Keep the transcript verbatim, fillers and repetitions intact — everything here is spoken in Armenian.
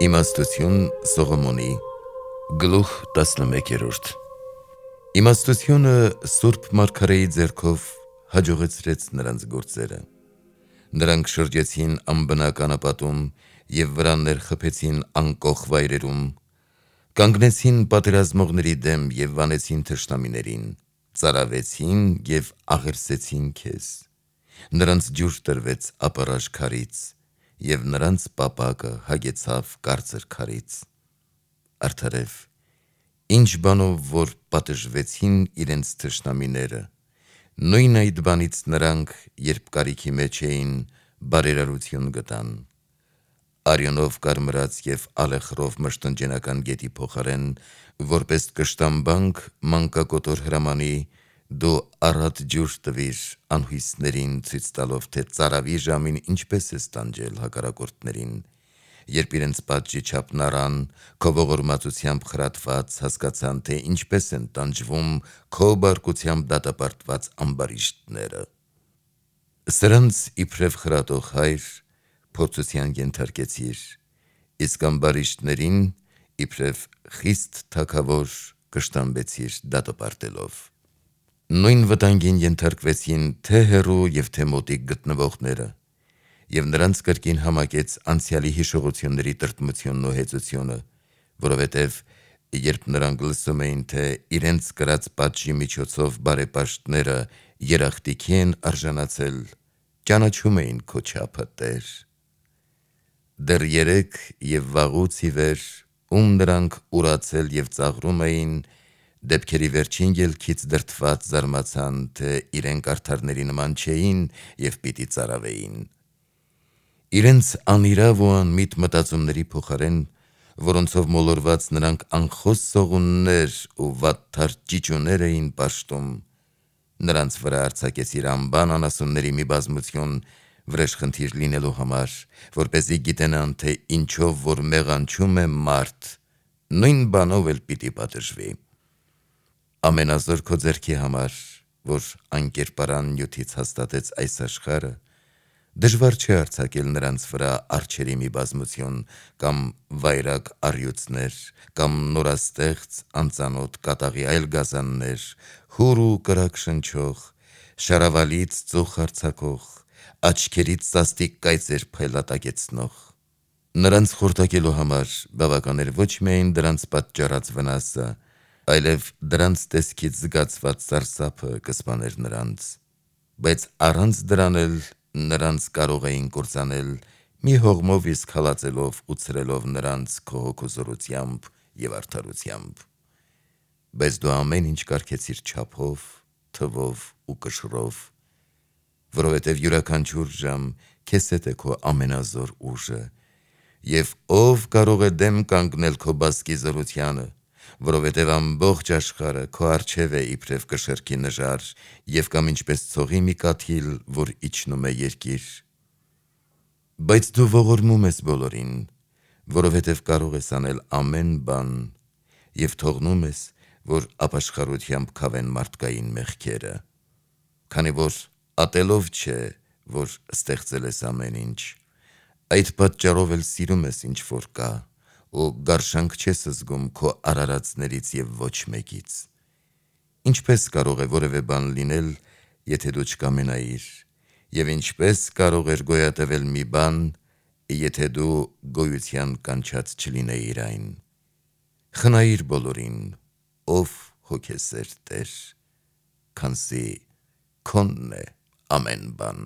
Իմաստություն Սողոմոնի գլուխ տասնմեկերորդ Իմաստությունը Սուրբ Մարգարեի ձեռքով հաջողեցրեց նրանց գործերը։ Նրանք շրջեցին անբնակ անապատում և վրաններ խփեցին անկոխ վայրերում, կանգնեցին պատերազմողների դեմ և վանեցին թշնամիներին, ծարավեցին և աղերսեցին քեզ։ Նրանց ջուր տրվեց ապառաժ քարից, և նրանց պապակը հագեցավ կարծր քարից։ Արդարև, ինչ բանով որ պատժվեցին իրենց թշնամիները, նույն այդ բանից նրանք, երբ կարիքի մեջ էին, բարերարություն գտան։ Արյունով կարմրած և ալեխռով մշտնջենական գետի փոխարեն, որպես կշտամբանք մանկակոտոր հրամանի, դու առատ ջուր տվիր անհույսներին, ցույց տալով, թե ծարավի ժամին ինչպես ես տանջել հակառակորդներին, երբ իրենց պատժի չափն առան, քո ողորմածությամբ խրատված, հասկացան, թե ինչպես են տանջվում քո բարկությամբ դատապարտված ամբարիշտները։ Սրանց իբրև խրատող հայր փորձության ենթարկեցիր, իսկ ամբարիշտներին իբրև խիստ թագավոր կշտամբեցիր դատապարտելով։ Նույն վտանգին ենթարկվեցին թե հեռու և թե մոտիկ գտնվողները, և նրանց կրկին համակեց անցյալի հիշողությունների տրտմությունն ու հեծությունը, որովհետև երբ նրանք լսում էին, թե իրենց կրած պատժի միջոցով բարեպաշտները երախտիքի են արժանացել, ճանաչում էին քո չափը, Տեր։ Դեռ երեկ և վաղուց ի վեր, ում նրանք ուրացել և ծաղրում էին, դեպքերի վերջին ելքից դրդված զարմացան, թե իրենք արդարների նման չէին և պիտի ծարավեին։ Իրենց անիրավ ու անմիտ մտածումների փոխարեն, որոնցով մոլորված նրանք անխոս սողուններ ու վատթար ճիճուներ էին պաշտում, նրանց վրա արձակեցիր անբան անասունների մի բազմություն վրեժխնդիր լինելու համար, որպեսզի գիտենան, թե ինչով որ մեղանչում է մարդ, նույն բանով էլ պիտի պատժվի։ Ամենազոր քո ձեռքի համար, որ անկերպարան նյութից հաստատեց այս աշխարհը, դժվար չէ արձակել նրանց վրա արջերի մի բազմություն, կամ վայրագ առյուծներ, կամ նորաստեղծ անծանոթ կատաղի այլ գազաններ, հուր ու կրակ շնչող, շարավալից ծուխ արձակող, աչքերից սաստիկ կայծեր փայլատակեցնող։ Նրանց խորտակելու համար բավական էր ոչ միայն դրանց պատճառած վնասը, այլև դրանց տեսքից զգացված սարսափը կսպաներ նրանց, բայց առանց դրան էլ նրանց կարող էին կործանել, մի հողմով իսկ հալածելով ու ցրելով նրանց քո հոգու զորությամբ և արդարությամբ։ Բայց դու ամեն ինչ կարգեցիր չափով, թվով ու կշռով, որովհետև յուրաքանչյուր ժամ քեզ հետ է քո ամենազոր ուժը, և ո՞վ կարող է դեմ կանգնել քո բազկի զորությանը, որովհետև ամբողջ աշխարհը քո առջև է իբրև կշեռքի նժար և կամ ինչպես ցողի մի կաթիլ, որ իջնում է երկիր։ Բայց դու ողորմում ես բոլորին, որովհետև կարող ես անել ամեն բան և թողնում ես, որ ապաշխարությամբ քավեն մարդկային մեղքերը, քանի որ ատելով չէ, որ ստեղծել ես ամեն ինչ, այդ պատճառով էլ սիրում ես ինչ որ կա, ու գարշանք չես զգում քո արարածներից և ոչ մեկից։ Ինչպե՞ս կարող է որևէ բան լինել, եթե դու չկամենայիր, և ինչպե՞ս կարող էր գոյատևել մի բան, եթե դու գոյության կանչած չլինեիր այն։ Խնայիր բոլորին, ով հոգեսեր Տեր, քանզի քոնն է ամեն բան։